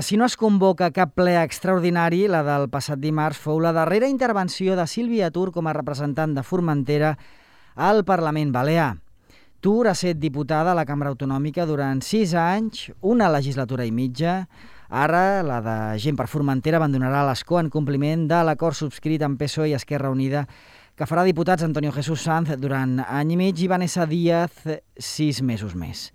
Si no es convoca cap ple extraordinari, la del passat dimarts fou la darrera intervenció de Sílvia Tur com a representant de Formentera al Parlament Balear. Tur ha estat diputada a la Cambra Autonòmica durant 6 anys, una legislatura i mitja. Ara, la de Gent per Formentera abandonarà l'escó en compliment de l'acord subscrit amb PSOE i Esquerra Unida que farà diputats Antonio Jesús Sanz durant any i mig i Vanessa Díaz 6 mesos més.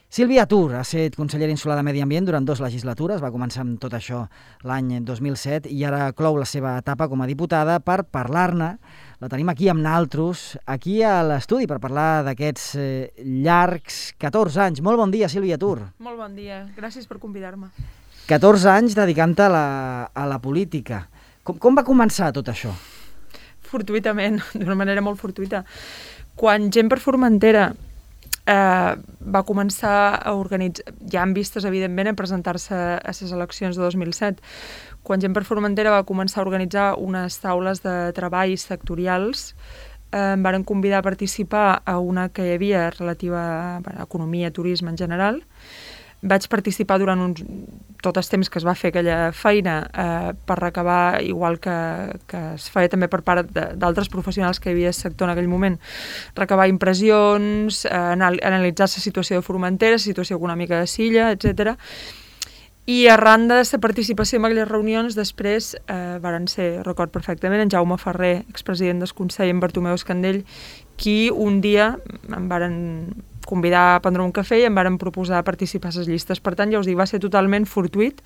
Sílvia Tur ha estat consellera insular de Medi Ambient durant 2 legislatures, va començar amb tot això l'any 2007 i ara clou la seva etapa com a diputada. Per parlar-ne, la tenim aquí amb naltros, aquí a l'estudi, per parlar d'aquests llargs 14 anys. Molt bon dia, Sílvia Tur. Molt bon dia, gràcies per convidar-me. 14 anys dedicant-te a la política. Com va començar tot això? Fortuitament, d'una manera molt fortuita. Quan Gent per Formentera va començar a organitzar, ja en vistes, evidentment, a presentar-se a les eleccions de 2007. Quan Gent per Formentera va començar a organitzar unes taules de treball sectorials, em varen convidar a participar a una que hi havia relativa a economia, turisme en general. Vaig participar durant tot el temps que es va fer aquella feina per recabar, igual que es feia també per part d'altres professionals que hi havia al sector en aquell moment, recabar impressions, analitzar la situació de Formentera, la situació econòmica de Silla, etc. I arran de la participació en aquelles reunions, després varen ser, record perfectament, en Jaume Ferrer, expresident del Consell, en Bartomeu Escandell, qui un dia em varen convidar a prendre un cafè i em varen proposar participar a les llistes. Per tant, ja us dic, va ser totalment fortuït,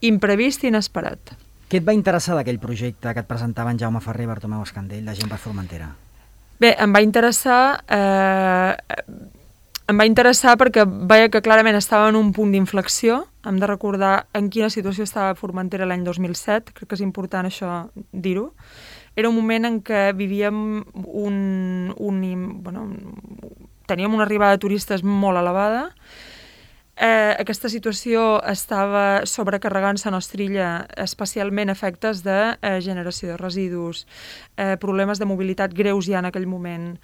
imprevist i inesperat. Què et va interessar d'aquell projecte que et presentaven Jaume Ferrer i Bartomeu Escandell, de Gent per Formentera? Bé, em va interessar perquè veia que clarament estava en un punt d'inflexió. Hem de recordar en quina situació estava Formentera l'any 2007, crec que és important això dir-ho. Era un moment en què vivíem teníem una arribada de turistes molt elevada. Aquesta situació estava sobrecarregant-se a nostra illa, especialment efectes de generació de residus, problemes de mobilitat greus ja en aquell moment,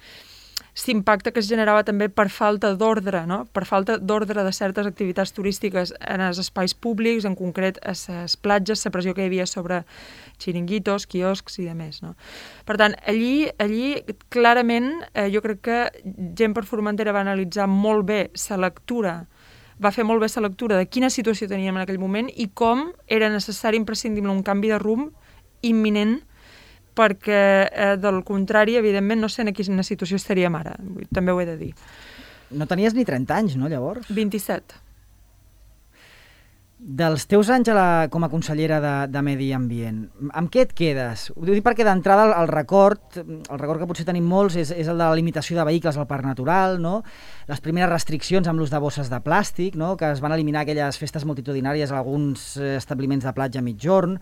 l'impacte que es generava també per falta d'ordre, no? Per falta d'ordre de certes activitats turístiques en els espais públics, en concret a les platges, la pressió que hi havia sobre xiringuitos, quioscs i demés, no? Per tant, allí clarament jo crec que Gent per Formentera va analitzar molt bé la lectura, va fer molt bé la lectura de quina situació teníem en aquell moment i com era necessari, imprescindible, un canvi de rumb imminent, perquè, del contrari, evidentment, no sé en quina situació estaríem ara. També ho he de dir. No tenies ni 30 anys, no, llavors? 27. Dels teus anys com a consellera de Medi Ambient, amb què et quedes? Ho dic perquè d'entrada el record que potser tenim molts és el de la limitació de vehicles al Parc Natural, no? Les primeres restriccions amb l'ús de bosses de plàstic, no? Que es van eliminar aquelles festes multitudinàries a alguns establiments de platja a migjorn,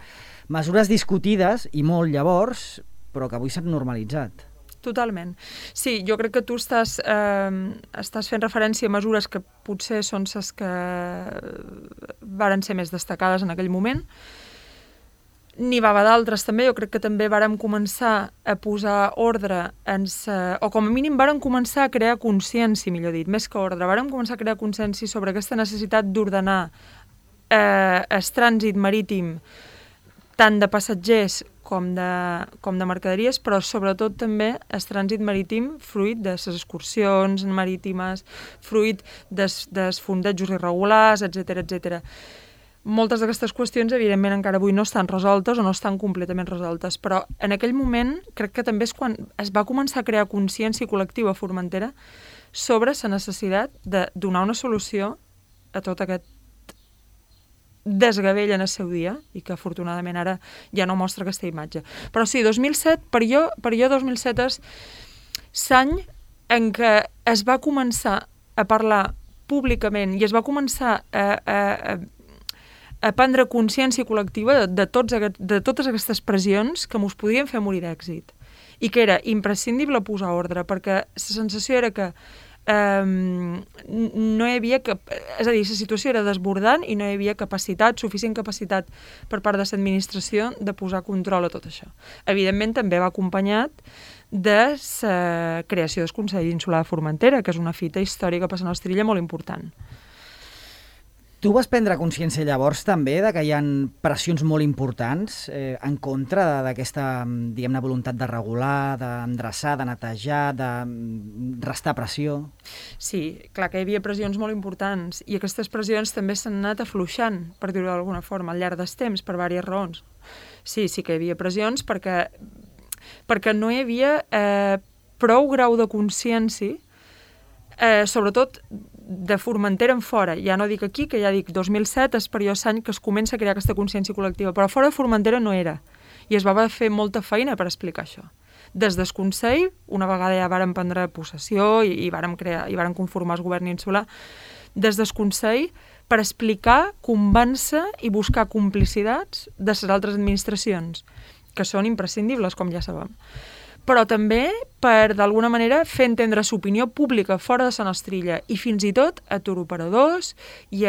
mesures discutides i molt llavors, però que avui s'han normalitzat. Totalment. Sí, jo crec que tu estàs fent referència a mesures que potser són les que varen ser més destacades en aquell moment. N'hi va haver d'altres també. Jo crec que també vàrem començar a posar ordre o com a mínim vàrem començar a crear consciència, millor dit, més que ordre. Vàrem començar a crear consciència sobre aquesta necessitat d'ordenar el trànsit marítim tant de passatgers com de mercaderies, però sobretot també el trànsit marítim fruit de les excursions marítimes, fruit dels fondejos irregulars, etc. Moltes d'aquestes qüestions, evidentment, encara avui no estan resoltes o no estan completament resoltes, però en aquell moment crec que també és quan es va començar a crear consciència col·lectiva a Formentera sobre la necessitat de donar una solució a tot aquest desgavell en el seu dia i que afortunadament ara ja no mostra aquesta imatge. Però sí, 2007, per jo 2007 és l'any en què es va començar a parlar públicament i es va començar a prendre consciència col·lectiva de totes aquestes pressions que mos podien fer morir d'èxit i que era imprescindible posar ordre perquè la sensació era que no hi havia és a dir, la situació era desbordant i no hi havia suficient capacitat per part de l'administració de posar control a tot això. Evidentment també va acompanyat de la creació del Consell Insular de Formentera, que és una fita històrica per la nostra illa molt important. Tu vas prendre consciència llavors també de que hi ha pressions molt importants en contra d'aquesta, diguem-ne, voluntat de regular, d'endreçar, de netejar, de restar pressió? Sí, clar que hi havia pressions molt importants i aquestes pressions també s'han anat afluixant, per dir-ho d'alguna forma, al llarg dels temps, per diverses raons. Sí que hi havia pressions perquè no hi havia prou grau de consciència, sobretot de Formentera en fora. Ja no dic aquí, que ja dic 2007 és perillós any que es comença a crear aquesta consciència col·lectiva, però fora de Formentera no era. I es va fer molta feina per explicar això. Des del Consell, una vegada ja vàrem prendre possessió i vàrem conformar el govern insular, des del Consell per explicar, convèncer i buscar complicitats de les altres administracions, que són imprescindibles, com ja sabem. Però també per, d'alguna manera, fer entendre l'opinió pública fora de la nostra illa i fins i tot a turoperadors i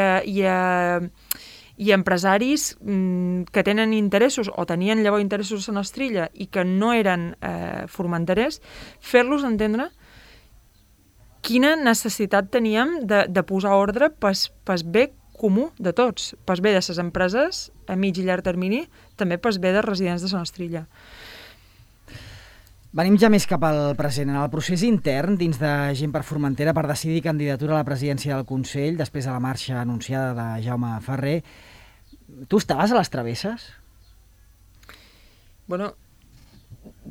empresaris que tenen interessos o tenien llavors interessos a la nostra illa i que no eren formenterers, fer-los entendre quina necessitat teníem de posar ordre pel bé comú de tots, pel bé de les empreses a mig i llarg termini, també pel bé dels residents de la nostra illa. Venim ja més cap al present. En el procés intern dins de Gent per Formentera per decidir candidatura a la presidència del Consell, després de la marxa anunciada de Jaume Ferrer, tu estaves a les travesses? Bueno,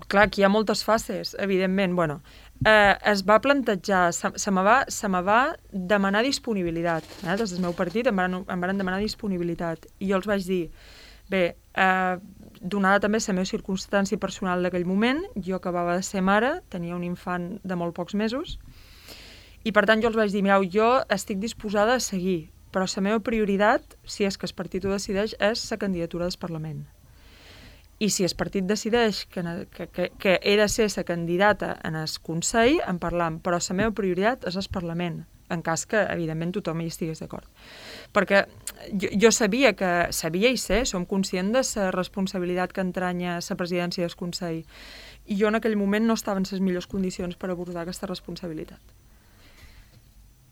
clar, aquí hi ha moltes fases, evidentment. Bueno, es va plantejar, se me va demanar disponibilitat. Des del meu partit em van demanar disponibilitat. I jo els vaig dir, bé, donada també la meva circumstància personal d'aquell moment, jo acabava de ser mare, tenia un infant de molt pocs mesos, i per tant jo els vaig dir, mireu, jo estic disposada a seguir, però la meva prioritat, si és que el partit ho decideix, és la candidatura del Parlament. I si el partit decideix que he de ser la candidata en el Consell, en parlam, però la meva prioritat és el Parlament, en cas que, evidentment, tothom hi estigués d'acord. Perquè jo sabia i sé, som conscient de la responsabilitat que entranya la presidència del Consell. I jo en aquell moment no estava en les millors condicions per abordar aquesta responsabilitat.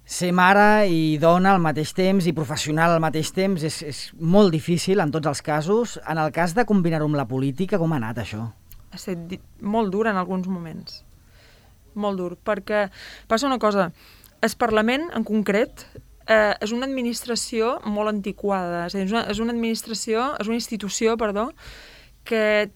Ser mare i dona al mateix temps i professional al mateix temps és molt difícil en tots els casos. En el cas de combinar-ho amb la política, com ha anat això? Ha estat molt dur en alguns moments. Molt dur, perquè passa una cosa. El Parlament, en concret, és una administració molt antiquada. És a dir, és una institució, que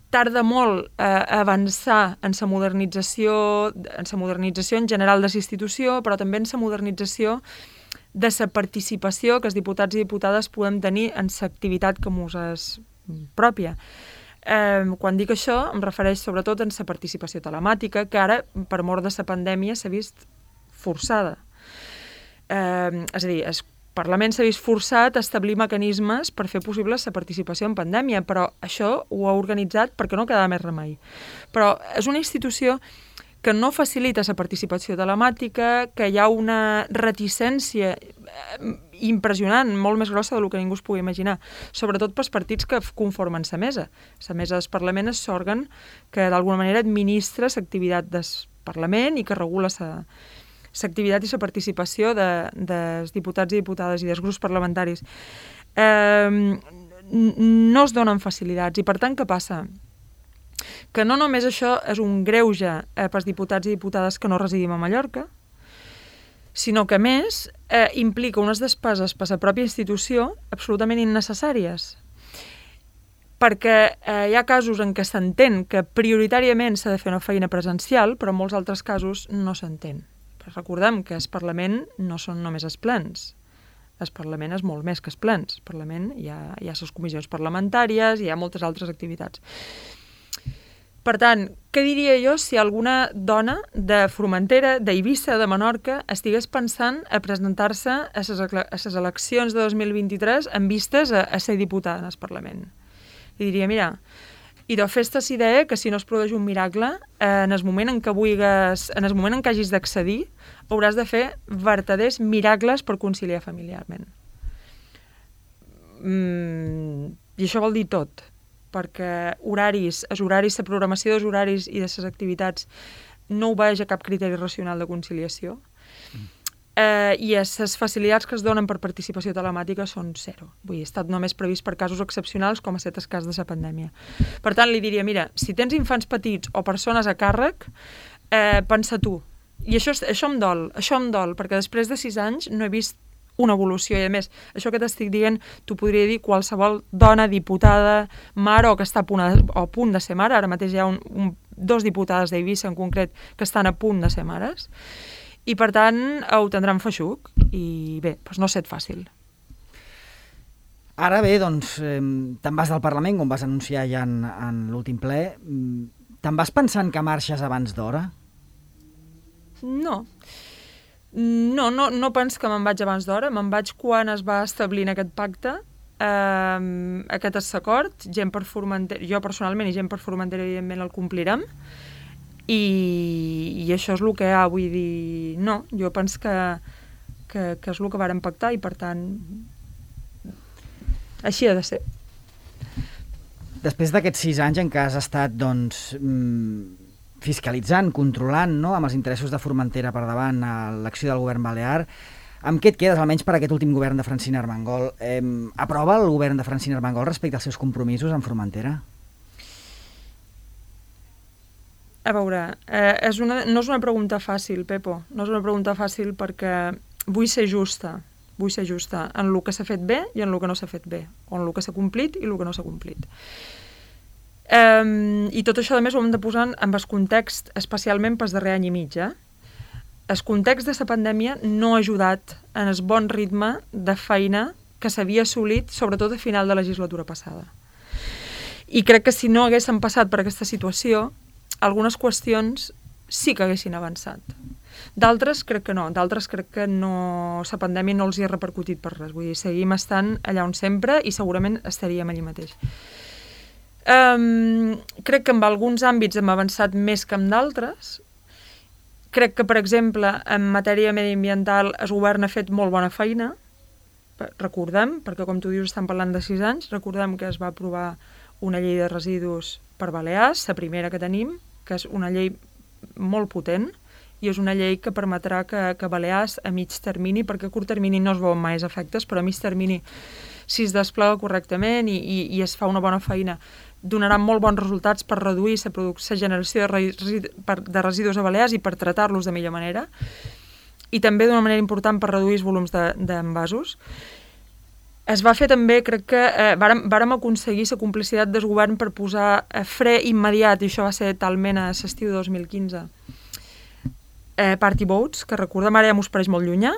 tarda molt a avançar en la modernització en general de la institució, però també en la modernització de la participació que els diputats i diputades podem tenir en l'activitat que mos és pròpia. Quan dic això, em refereix sobretot en la participació telemàtica, que ara, per mort de la pandèmia, s'ha vist forçada. És a dir, el Parlament s'ha vist forçat a establir mecanismes per fer possible la participació en pandèmia, però això ho ha organitzat perquè no quedava més remei. Però és una institució que no facilita la participació telemàtica, que hi ha una reticència impressionant, molt més grossa del que ningú es pugui imaginar, sobretot pels partits que conformen la mesa. La mesa del Parlament és l'òrgan que d'alguna manera administra l'activitat del Parlament i que regula l'activitat i la participació dels diputats i diputades i dels grups parlamentaris. No es donen facilitats i, per tant, què passa? Que no només això és un greuge pels diputats i diputades que no residim a Mallorca, sinó que, a més, implica unes despeses per la pròpia institució absolutament innecessàries. Perquè hi ha casos en què s'entén que prioritàriament s'ha de fer una feina presencial, però en molts altres casos no s'entén. Recordem que el Parlament no són només els plens. El Parlament és molt més que els plens. El Parlament hi ha les comissions parlamentàries i hi ha moltes altres activitats. Per tant, què diria jo si alguna dona de Formentera, d'Eivissa, de Menorca, estigués pensant a presentar-se a les eleccions de 2023 en vistes a ser diputada en el Parlament? Li diria, mira, idò fes-te la idea que si no es produeix un miracle, en el moment en què hagis d'accedir, hauràs de fer vertaders miracles per conciliar familiarment. I això vol dir tot, perquè la programació dels horaris i de les activitats no obeeix a cap criteri racional de conciliació. i les facilitats que es donen per participació telemàtica són zero. Vull dir, ha estat només previst per casos excepcionals, com ha estat el cas de la pandèmia. Per tant, li diria, mira, si tens infants petits o persones a càrrec, pensa tu. I això em dol, perquè després de 6 anys no he vist una evolució, i a més, això que t'estic dient, t'ho podria dir qualsevol dona, diputada, mare, o que està a punt de ser mare. Ara mateix hi ha 2 diputades d'Eivissa en concret que estan a punt de ser mares, i per tant ho tindran feixuc, i bé, doncs no ha estat fàcil. Ara bé, doncs, te'n vas del Parlament, com vas anunciar ja en l'últim ple. Te'n vas pensant que marxes abans d'hora? No penso que me'n vaig abans d'hora, me'n vaig quan es va establir en aquest pacte, aquest acord, gent per Formentera, jo personalment i gent per Formentera evidentment el complirem, i això és el que hi ha, vull dir, no, jo penso que és el que vàrem pactar i per tant així ha de ser. Després d'aquests 6 anys en què has estat, doncs, fiscalitzant, controlant, no?, amb els interessos de Formentera per davant a l'acció del govern balear, amb què et quedes, almenys per aquest últim govern de Francina Armengol? Aprova el govern de Francina Armengol respecte als seus compromisos amb Formentera? A veure, no és una pregunta fàcil, Pepo, no és una pregunta fàcil perquè vull ser justa en el que s'ha fet bé i en el que no s'ha fet bé, o en el que s'ha complit i el que no s'ha complit. I tot això, a més, ho hem de posar en el context, especialment pel darrer any i mig. El context de la pandèmia no ha ajudat en el bon ritme de feina que s'havia assolit, sobretot a final de legislatura passada. I crec que si no haguéssim passat per aquesta situació, algunes qüestions sí que haguessin avançat. D'altres crec que no, la pandèmia no els hi ha repercutit per res. Vull dir, seguim estant allà on sempre i segurament estaríem allà mateix. Crec que en alguns àmbits hem avançat més que en d'altres. Crec que, per exemple, en matèria mediambiental el govern ha fet molt bona feina. Recordem, perquè com tu dius estan parlant de 6 anys, recordem que es va aprovar una llei de residus per Balears, la primera que tenim, que és una llei molt potent, i és una llei que permetrà que Balears a mig termini, perquè a curt termini no es veuen mai efectes, però a mig termini, si es desplega correctament i es fa una bona feina, donarà molt bons resultats per reduir la generació de residus a Balears i per tratar-los de millor manera, i també d'una manera important per reduir els volums d'envasos. Es va fer també, crec que vàrem aconseguir la complicitat del govern per posar fre immediat, i això va ser talment a l'estiu de 2015, party boats, que recordem ara ja m'ho pareix molt llunyà,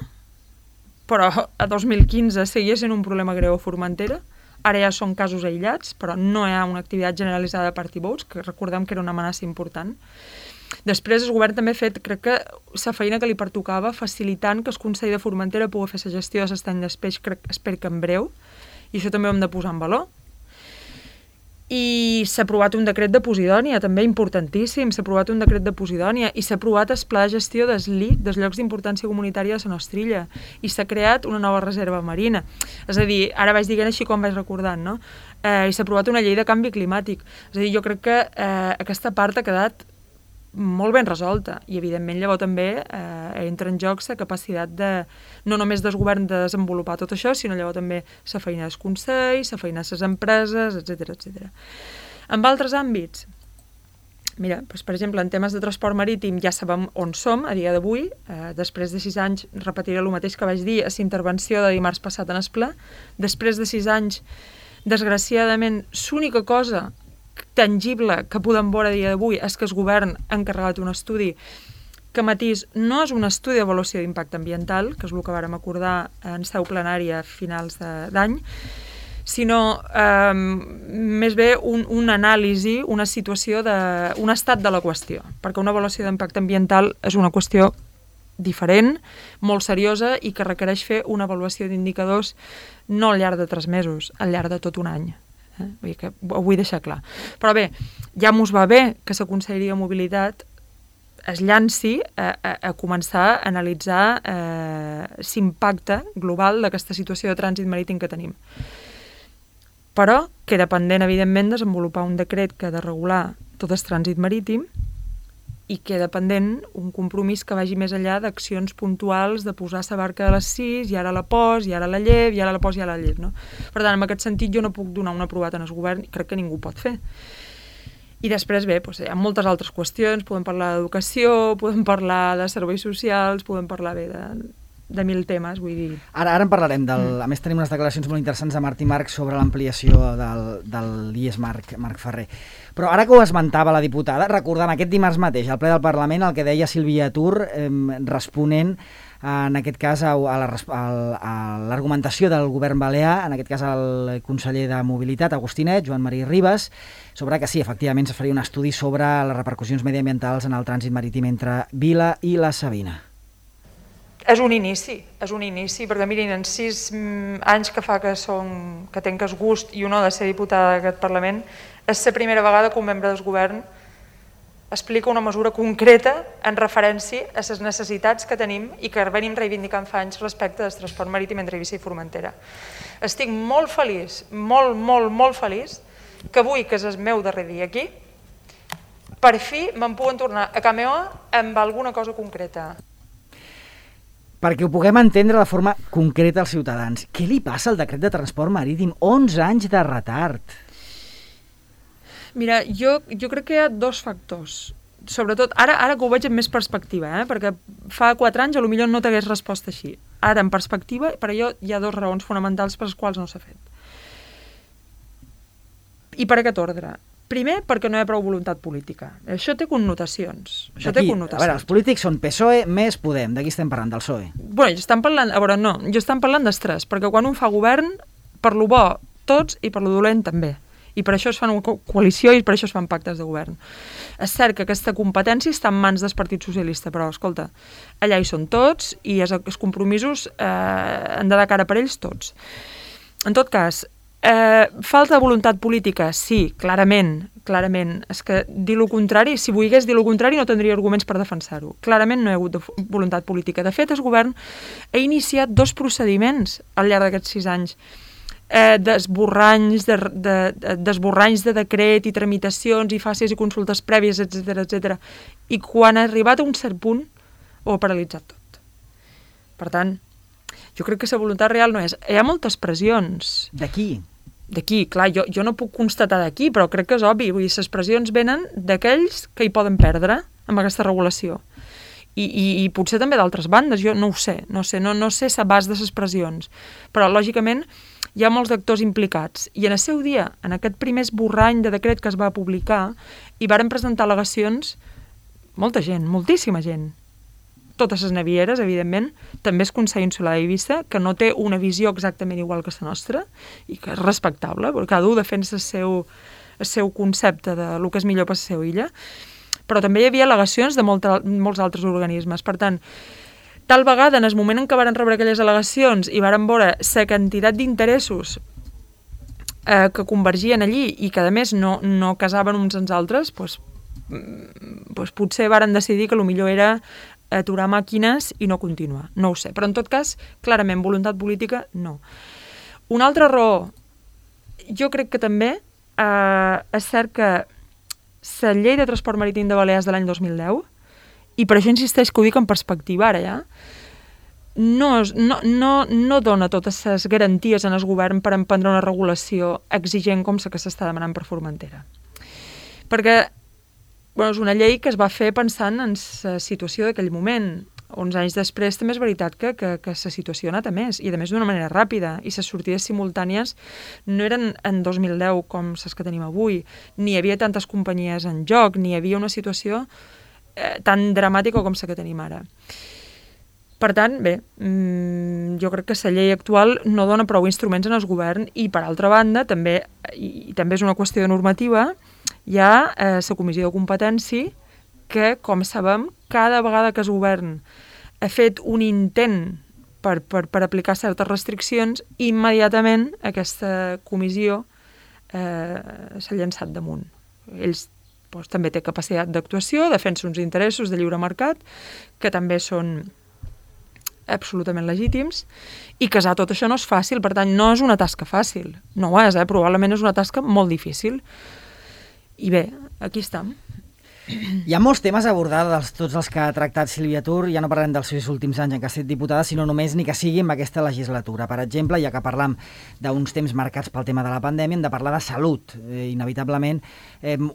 però a 2015 seguia sent un problema greu a Formentera. Ara ja són casos aïllats, però no hi ha una activitat generalitzada de party boats, que recordem que era una amenaça important. Després el govern també ha fet, crec que, la feina que li pertocava, facilitant que el Consell de Formentera pugui fer la gestió de l'estany d'espeix, espero que en breu, i això també ho hem de posar en valor. I s'ha aprovat un decret de Posidònia, també importantíssim, s'ha aprovat un decret de Posidònia, i s'ha aprovat el pla de gestió dels LIC, dels llocs d'importància comunitària de la nostra illa, i s'ha creat una nova reserva marina. És a dir, ara vaig dient així com vaig recordant, no? I s'ha aprovat una llei de canvi climàtic. És a dir, jo crec que aquesta part ha quedat molt ben resolta, i evidentment llavors també entra en joc la capacitat de, no només del govern de desenvolupar tot això, sinó llavors també la feina dels consells, la feina de les empreses, etc. En altres àmbits, mira, doncs, per exemple, en temes de transport marítim ja sabem on som a dia d'avui. Després de 6 anys repetiré el mateix que vaig dir a la intervenció de dimarts passat en el ple. Després de 6 anys, desgraciadament, l'única cosa tangible que podem veure a dia d'avui és que el govern ha encarregat un estudi que, matís, no és un estudi d'avaluació d'impacte ambiental, que és el que vàrem acordar en seu plenària a finals d'any, sinó més bé una anàlisi, una situació, un estat de la qüestió, perquè una avaluació d'impacte ambiental és una qüestió diferent, molt seriosa, i que requereix fer una avaluació d'indicadors no al llarg de 3 mesos, al llarg de tot un any. Vull dir que ho vull deixar clar. Però bé, ja mos va bé que la Conselleria de Mobilitat es llanci a començar a analitzar l'impacte global d'aquesta situació de trànsit marítim que tenim. Però queda pendent, evidentment, desenvolupar un decret que ha de regular tot el trànsit marítim, i queda pendent un compromís que vagi més enllà d'accions puntuals de posar la barca a les 6 i ara la pos, i ara la llev, i ara la pos, i ara la llev, no? Per tant, en aquest sentit jo no puc donar un aprovat en el govern, crec que ningú pot fer. I després, bé, doncs, hi ha moltes altres qüestions, podem parlar d'educació, podem parlar de serveis socials, podem parlar bé de mil temes, vull dir... Ara en parlarem. A més, tenim unes declaracions molt interessants de Martí Marc sobre l'ampliació del IES Marc Ferrer. Però ara que ho esmentava la diputada, recordant aquest dimarts mateix, al ple del Parlament, el que deia Sílvia Tur, responent, en aquest cas, a l'argumentació del govern balear, en aquest cas el conseller de Mobilitat, Agustinet, Joan Marí Ribas, sobre que sí, efectivament, es faria un estudi sobre les repercussions mediambientals en el trànsit marítim entre Vila i la Sabina. És un inici, perquè mirin, en 6 anys que fa que tenc el gust i honor de ser diputada d'aquest Parlament, és la primera vegada que un membre del govern explica una mesura concreta en referència a les necessitats que tenim i que venim reivindicant fa anys respecte del transport marítim entre Eivissa i Formentera. Estic molt feliç, molt feliç, que avui, que és el meu darrer dia aquí, per fi me'n puguen tornar a Cameoa amb alguna cosa concreta. Perquè ho puguem entendre de forma concreta als ciutadans. Què li passa al decret de transport marítim? 11 anys de retard. Mira, jo crec que hi ha 2 factors. Sobretot, ara que ho veig en més perspectiva, perquè fa 4 anys potser no t'hagués respost així. Ara, en perspectiva, per allò hi ha 2 raons fonamentals per les quals no s'ha fet. I per aquest ordre. Primer, perquè no hi ha prou voluntat política. Això té connotacions. A veure, els polítics són PSOE més Podem. D'aquí estem parlant, del PSOE. Bueno, jo estem parlant dels 3, perquè quan un fa govern, per lo bo tots i per lo dolent també. I per això es fan una coalició i per això es fan pactes de govern. És cert que aquesta competència està en mans del Partit Socialista, però, escolta, allà hi són tots i els compromisos han de dar cara per ells tots. En tot cas, falta de voluntat política, sí, clarament. És que dir el contrari, si volgués dir el contrari no tindria arguments per defensar-ho. Clarament no hi ha hagut voluntat política. De fet, el govern ha iniciat 2 procediments al llarg d'aquests 6 anys. D'esborranys de decret i tramitacions i fàcies i consultes prèvies, etc. I quan ha arribat a un cert punt ho ha paralitzat tot. Per tant, jo crec que la voluntat real no és. Hi ha moltes pressions. D'aquí, clar, jo no puc constatar d'aquí, però crec que és obvi. Vull dir, les pressions venen d'aquells que hi poden perdre amb aquesta regulació. I potser també d'altres bandes, jo no ho sé. No sé l'abast de les pressions. Però, lògicament, hi ha molts actors implicats. I en el seu dia, en aquest primer esborrany de decret que es va publicar, hi varen presentar al·legacions molta gent, moltíssima gent. Totes les navieres, evidentment, també el Consell Insular d'Eivissa, que no té una visió exactament igual que la nostra, i que és respectable, perquè cada un defensa el seu concepte de lo que és millor per la seva illa, però també hi havia al·legacions de molts altres organismes. Per tant, tal vegada, en el moment en què varen rebre aquelles al·legacions i varen veure la quantitat d'interessos que convergien allí i que, a més, no casaven uns amb els altres, doncs potser varen decidir que el millor era aturar màquines i no continuar. No ho sé. Però, en tot cas, clarament, voluntat política, no. Una altra raó, jo crec que també és cert que la llei de transport marítim de Balears de l'any 2010, i per això insisteix que ho dic en perspectiva ara ja, no dona totes les garanties en el govern per emprendre una regulació exigent com la que s'està demanant per Formentera. Perquè és una llei que es va fer pensant en la situació d'aquell moment. 11 anys després també és veritat que la situació ha anat a més, i a més d'una manera ràpida, i les sortides simultànies no eren en 2010 com les que tenim avui, ni hi havia tantes companyies en joc, ni hi havia una situació tan dramàtica com la que tenim ara. Per tant, bé, jo crec que la llei actual no dona prou instruments en el govern i, per altra banda, també és una qüestió de normativa, hi ha la Comissió de Competència que, com sabem, cada vegada que el govern ha fet un intent per aplicar certes restriccions, immediatament aquesta comissió s'ha llançat damunt. Ells també té capacitat d'actuació, defensa uns interessos de lliure mercat, que també són absolutament legítims, i casar tot això no és fàcil, per tant, no és una tasca fàcil. No ho és, probablement és una tasca molt difícil. I bé, aquí estem. Hi ha molts temes a abordar tots els que ha tractat Sílvia Tur, ja no parlem dels seus últims anys en què ha estat diputada, sinó només ni que sigui en aquesta legislatura. Per exemple, ja que parlam d'uns temps marcats pel tema de la pandèmia, hem de parlar de salut, inevitablement.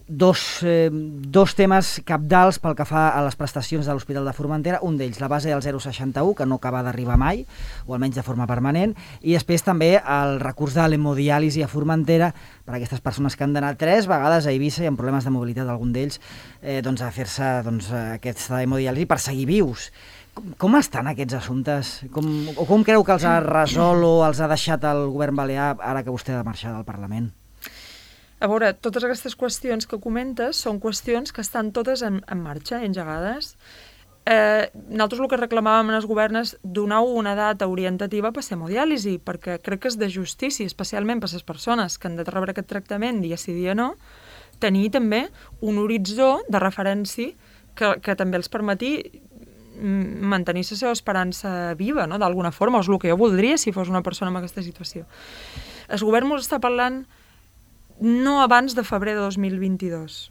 Dos temes cabdals pel que fa a les prestacions de l'Hospital de Formentera, un d'ells, la base del 061, que no acaba d'arribar mai, o almenys de forma permanent, i després també el recurs de l'hemodiàlisi a Formentera per a aquestes persones que han d'anar 3 vegades a Eivissa i amb problemes de mobilitat, algun d'ells, a fer-se aquesta hemodiàlisi per seguir vius. Com estan aquests assumptes? Com creu que els ha resolt o els ha deixat el govern balear ara que vostè ha de marxar del Parlament? A veure, totes aquestes qüestions que comentes són qüestions que estan totes en marxa, engegades. Nosaltres el que reclamàvem en els governs és donar una data orientativa per ser hemodiàlisi, perquè crec que és de justícia, especialment per les persones que han de rebre aquest tractament dia sí dia no, tenir també un horitzó de referència que també els permeti mantenir la seva esperança viva, no? D'alguna forma, és el que jo voldria si fos una persona en aquesta situació. El govern ens està parlant no abans de febrer de 2022.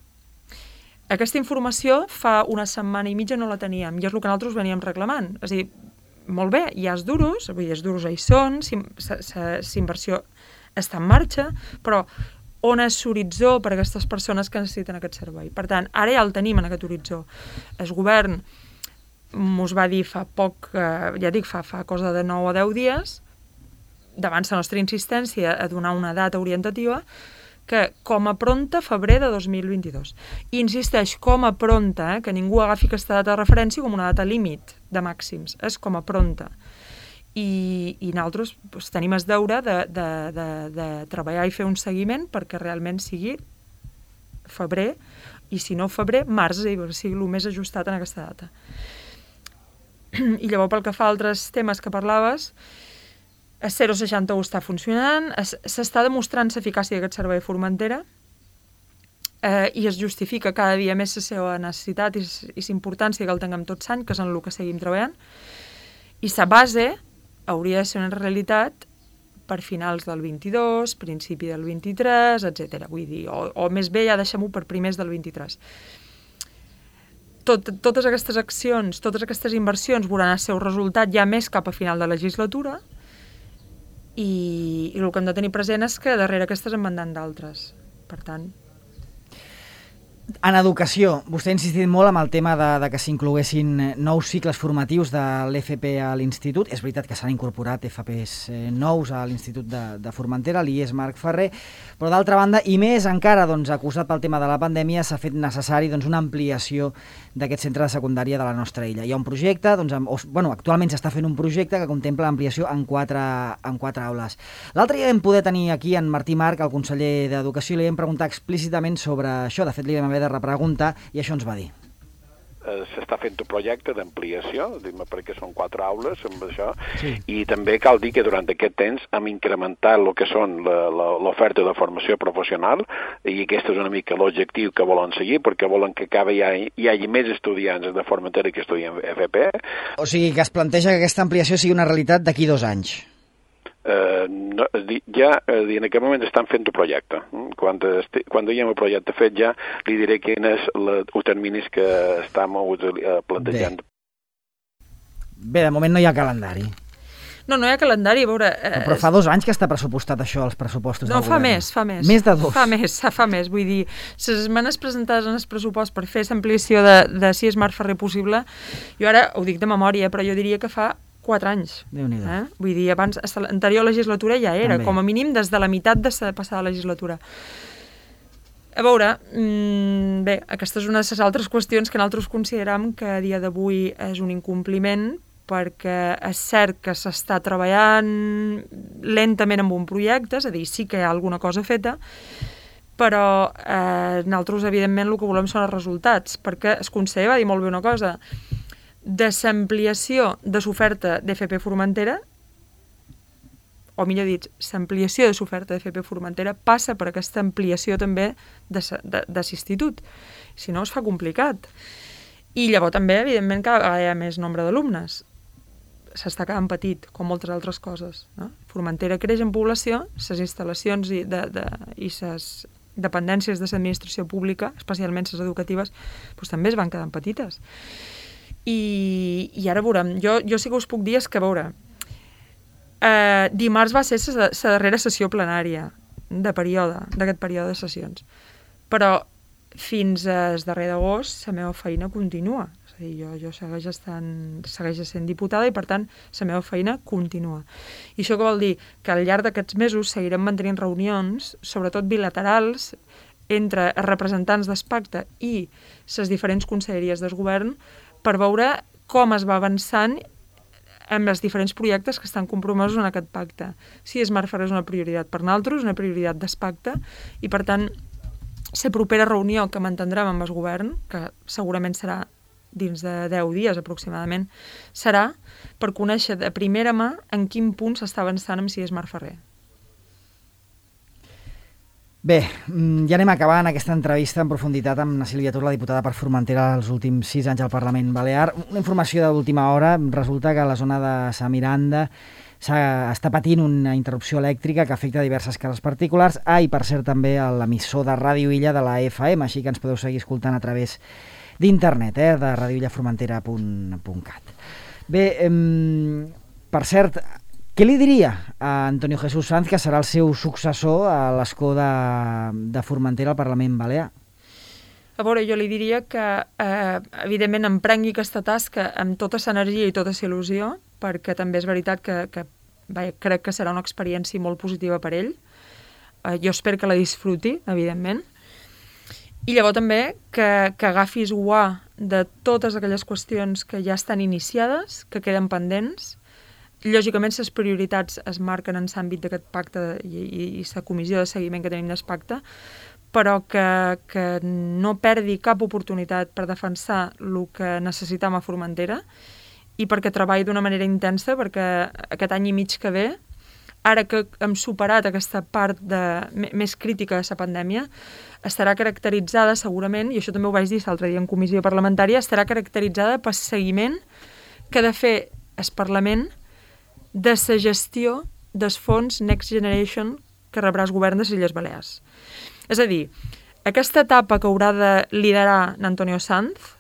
Aquesta informació fa una setmana i mitja no la teníem, i és el que nosaltres veníem reclamant. És a dir, molt bé, hi ha els duros hi són, la inversió està en marxa, però on és l'horitzó per a aquestes persones que necessiten aquest servei? Per tant, ara ja el tenim en aquest horitzó. El govern ens va dir fa poc, ja dic, fa cosa de 9 o 10 dies, davant la nostra insistència a donar una data orientativa, que com a pronta febrer de 2022. I insisteix, com a pronta, que ningú agafi aquesta data de referència com una data límit de màxims, és com a pronta. I nosaltres tenim el deure de treballar i fer un seguiment perquè realment sigui febrer, i si no febrer, març, sigui el més ajustat en aquesta data. I llavors, pel que fa a altres temes que parlaves, el 061 està funcionant, s'està demostrant l'eficàcia d'aquest servei a Formentera i es justifica cada dia més la seva necessitat i la importància que el tinguem tots l'any, que és en el que seguim treballant. I la base hauria de ser una realitat per finals del 22, principi del 23, etc. Vull dir, o més bé ja deixem-ho per primers del 23. Totes aquestes accions, totes aquestes inversions veuran el seu resultat ja més cap a final de legislatura, i el que hem de tenir present és que darrere aquestes en van anant d'altres. Per tant... En educació, vostè ha insistit molt amb el tema de que s'incloguessin nous cicles formatius de l'FP a l'Institut. És veritat que s'han incorporat FPs nous a l'Institut de Formentera, l'IES Marc Ferrer, però d'altra banda, i més encara acusat pel tema de la pandèmia, s'ha fet necessari una ampliació d'aquest centre de secundària de la nostra illa. Hi ha un projecte, actualment s'està fent un projecte que contempla l'ampliació en 4 aules. L'altre dia vam poder tenir aquí en Martí Marc, el conseller d'Educació, i li vam preguntar explícitament sobre això. De fet, li vam haver de repreguntar i això ens va dir. S'està fent un projecte d'ampliació, perquè són 4 aules amb això, sí. I també cal dir que durant aquest temps hem incrementat el que són l'oferta de formació professional, i aquest és una mica l'objectiu que volen seguir, perquè volen que cada hi hagi més estudiants de Formentera que estudien FP. O sigui que es planteja que aquesta ampliació sigui una realitat d'aquí 2 anys. En aquest moment estan fent un projecte. Quan hi ha un projecte fet ja li diré quin és els terminis que estem plantejant. Bé, de moment no hi ha calendari. No hi ha calendari, a veure... Però fa 2 anys que està pressupostat això, els pressupostos del govern. No, fa més. Més de 2. Fa més, vull dir, les esmenes presentades en el pressupost per fer l'ampliació de si és Marc Ferrer possible, jo ara ho dic de memòria, però jo diria que fa 4 anys. Déu-n'hi-do. Vull dir, abans, l'anterior legislatura ja era, també. Com a mínim des de la meitat de la passada legislatura. A veure, bé, aquesta és una de les altres qüestions que nosaltres consideram que a dia d'avui és un incompliment, perquè és cert que s'està treballant lentament amb un projecte, és a dir, sí que hi ha alguna cosa feta, però nosaltres, evidentment, el que volem són els resultats, perquè el conseller va dir molt bé una cosa, de l'ampliació de l'oferta d'FP Formentera, o millor dit, l'ampliació de l'oferta d'FP Formentera passa per aquesta ampliació també de l'institut. Si no, es fa complicat. I llavors també, evidentment, que hi ha més nombre d'alumnes. S'està quedant petit, com moltes altres coses. No? Formentera creix en població, les instal·lacions i les dependències de l'administració pública, especialment les educatives, doncs també es van quedant petites. I ara veurem, jo sí que us puc dir és que, a veure, dimarts va ser la darrera sessió plenària d'aquest període de sessions, però fins al darrer d'agost la meva feina continua. És a dir, jo segueix sent diputada i, per tant, la meva feina continua. I això què vol dir? Que al llarg d'aquests mesos seguirem mantenint reunions, sobretot bilaterals, entre representants del pacte i les diferents conselleries del govern per veure com es va avançant amb els diferents projectes que estan compromesos en aquest pacte. Si Smart Ferrer és una prioritat per nosaltres, una prioritat del pacte, i per tant, la propera reunió que mantindrem amb el govern, que segurament serà dins de 10 dies aproximadament, serà per conèixer de primera mà en quin punt s'està avançant amb si Smart Ferrer. Bé, ja anem acabant aquesta entrevista en profunditat amb la Sílvia Tur, la diputada per Formentera els últims 6 anys al Parlament Balear. Una informació d'última hora, resulta que a la zona de Sa Miranda està patint una interrupció elèctrica que afecta diverses cases particulars, i per cert també a l'emissor de Ràdio Illa de la FM, així que ens podeu seguir escoltant a través d'internet, de radioillaformentera.cat. Bé, per cert, què li diria a Antonio Jesús Sanz, que serà el seu successor a l'escó de Formentera al Parlament Balear? A veure, jo li diria que, evidentment, emprengui aquesta tasca amb tota l'energia i tota il·lusió, perquè també és veritat que crec que serà una experiència molt positiva per ell. Jo espero que la disfruti, evidentment. I llavors també que agafi guà de totes aquelles qüestions que ja estan iniciades, que queden pendents. Lògicament, les prioritats es marquen en l'àmbit d'aquest pacte i la comissió de seguiment que tenim del pacte, però que no perdi cap oportunitat per defensar el que necessitam a Formentera i perquè treballi d'una manera intensa, perquè aquest any i mig que ve, ara que hem superat aquesta part més crítica de la pandèmia, estarà caracteritzada segurament, i això també ho vaig dir l'altre dia en comissió parlamentària, estarà caracteritzada pel seguiment que ha de fer el Parlament de la gestió dels fons Next Generation que rebrà el govern de les Illes Balears. És a dir, aquesta etapa que haurà de liderar Antonio Sanz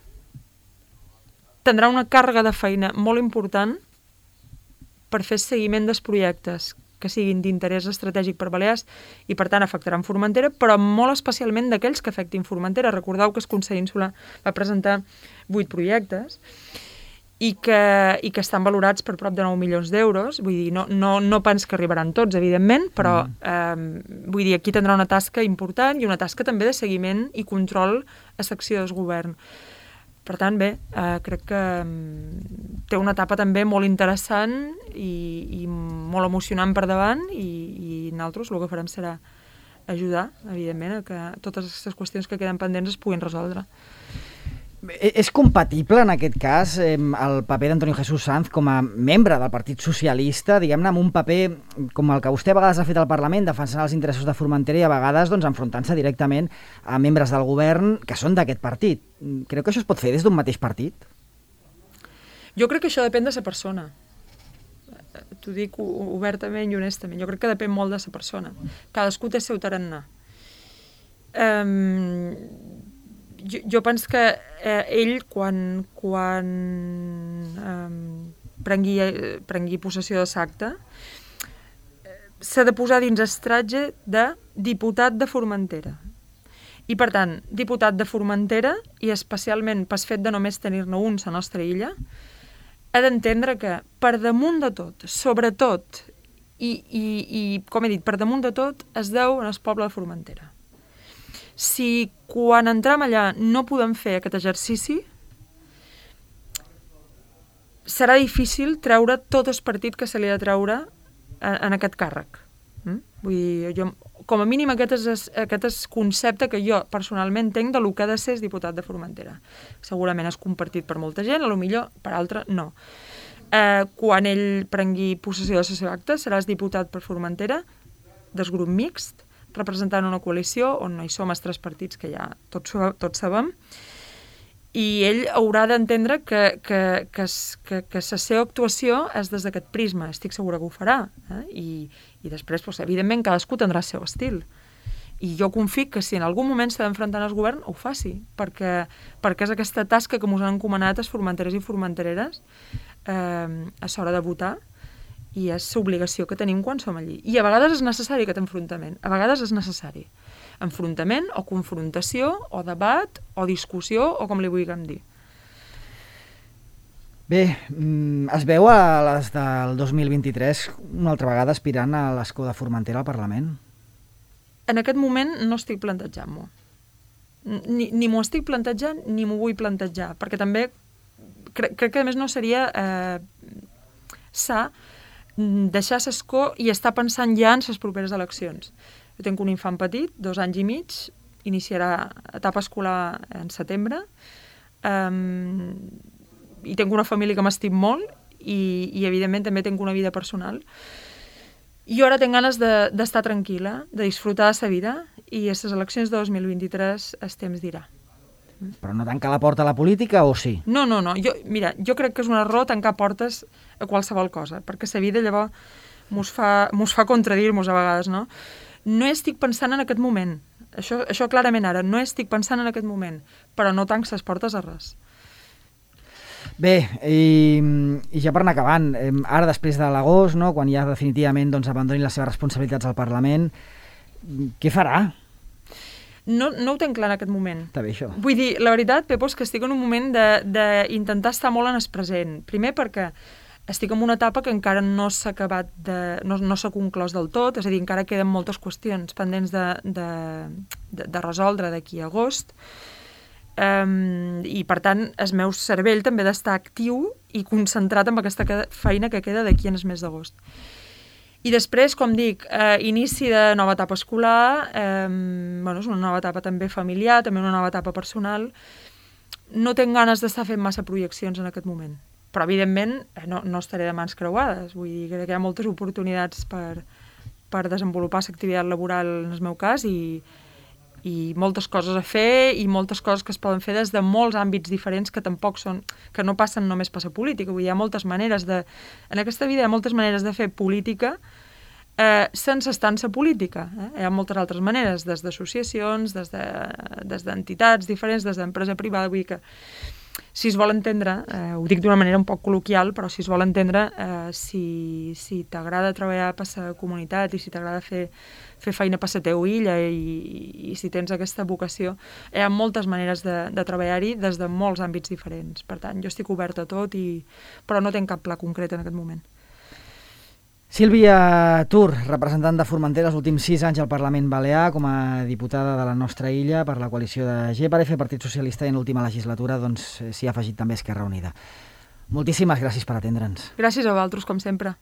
tindrà una càrrega de feina molt important per fer seguiment dels projectes que siguin d'interès estratègic per Balears i, per tant, afectaran Formentera, però molt especialment d'aquells que afectin Formentera. Recordeu que el Consell Insular va presentar 8 projectes i que estan valorats per prop de 9 milions d'euros. Vull dir, no pens que arribaran tots, evidentment, però vull dir, aquí tindrà una tasca important i una tasca també de seguiment i control a l'acció del govern. Per tant, bé, crec que té una etapa també molt interessant i molt emocionant per davant i nosaltres el que farem serà ajudar, evidentment, a que totes aquestes qüestions que queden pendents es puguin resoldre. És compatible, en aquest cas, el paper d'Antonio Jesús Sanz com a membre del Partit Socialista, diguem-ne, amb un paper com el que vostè a vegades ha fet al Parlament, defensant els interessos de Formentera i a vegades enfrontant-se directament a membres del govern que són d'aquest partit. Creu que això es pot fer des d'un mateix partit? Jo crec que això depèn de la persona. T'ho dic obertament i honestament. Jo crec que depèn molt de la persona. Cadascú té el seu tarannà. Jo penso que ell, quan prengui possessió de l'acte, s'ha de posar dins el tratge de diputat de Formentera. I, per tant, diputat de Formentera, i especialment pel fet de només tenir-ne un a la nostra illa, ha d'entendre que, per damunt de tot, sobretot, i com he dit, per damunt de tot, es deu al poble de Formentera. Si quan entrem allà no podem fer aquest exercici, serà difícil treure tot el partit que se li ha de treure en aquest càrrec. Vull dir, com a mínim aquest és el concepte que jo personalment tenc de lo que ha de ser diputat de Formentera. Segurament és compartit per molta gent, potser per altra no. Quan ell prengui possessió de la seva acta, seràs diputat per Formentera, del grup mixt, representant una coalició on no hi som els 3 partits que ja tots sabem, i ell haurà d'entendre que la seva actuació és des d'aquest prisma. Estic segura que ho farà. I després, evidentment, cadascú tindrà el seu estil. I jo confio que si en algun moment s'ha d'enfrontar al govern, ho faci, perquè és aquesta tasca que ens han encomanat els formenterers i formentereres a l'hora de votar, i és l'obligació que tenim quan som allí. I a vegades és necessari aquest enfrontament, a vegades és necessari. Enfrontament o confrontació o debat o discussió o com li vulguem dir. Bé, es veu a les del 2023 una altra vegada aspirant a l'escó de Formentera al Parlament? En aquest moment no estic plantejant-m'ho. Ni m'ho estic plantejant ni m'ho vull plantejar, perquè també crec que a més no seria sa deixar l'escó i estar pensant ja en les properes eleccions. Jo tinc un infant petit, 2 anys i mig, iniciarà etapa escolar en setembre, i tinc una família que m'estim molt i evidentment també tinc una vida personal. I ara tinc ganes d'estar tranquil·la, de disfrutar de la vida, i a les eleccions de 2023 el temps dirà. Però no tancar la porta a la política o sí? No. Jo crec que és un error tancar portes a qualsevol cosa, perquè la vida llavors mos fa contradir-nos a vegades, no? No estic pensant en aquest moment. Això clarament ara, no estic pensant en aquest moment, però no tanco les portes a res. Bé, i ja per anar acabant, ara després de l'agost, no, quan ja definitivament abandonin les seves responsabilitats al Parlament, què farà? No ho tenc clar en aquest moment. Està bé, això. Vull dir, la veritat, Pepo, és que estic en un moment d'intentar estar molt en el present. Primer perquè estic en una etapa que encara no s'ha acabat no s'ha conclòs del tot, és a dir, encara queden moltes qüestions pendents de resoldre d'aquí a agost, i per tant el meu cervell també ha d'estar actiu i concentrat en aquesta feina que queda d'aquí en el mes d'agost. I després, com dic, inici de nova etapa escolar, és una nova etapa també familiar, també una nova etapa personal. No tinc ganes d'estar fent massa projeccions en aquest moment, però evidentment no estaré de mans creuades, vull dir que hi ha moltes oportunitats per desenvolupar l'activitat laboral en el meu cas i moltes coses a fer i moltes coses que es poden fer des de molts àmbits diferents que no passen només per la política. Vull dir, hi ha moltes maneres en aquesta vida hi ha moltes maneres de fer política sense estar en la política. Hi ha moltes altres maneres, des d'associacions, des d'entitats diferents, des d'empresa privada. Vull dir que si es vol entendre, ho dic d'una manera un poc col·loquial, però si es vol entendre, si t'agrada treballar per la comunitat i si t'agrada fer feina per la teva illa i si tens aquesta vocació, hi ha moltes maneres de treballar-hi des de molts àmbits diferents. Per tant, jo estic oberta a tot, però no tinc cap pla concret en aquest moment. Sílvia Tur, representant de Formentera els últims 6 anys al Parlament Balear com a diputada de la nostra illa per la coalició de GPRF, Partit Socialista, i en l'última legislatura s'hi ha afegit també Esquerra Unida. Moltíssimes gràcies per atendre'ns. Gràcies a vosaltres, com sempre.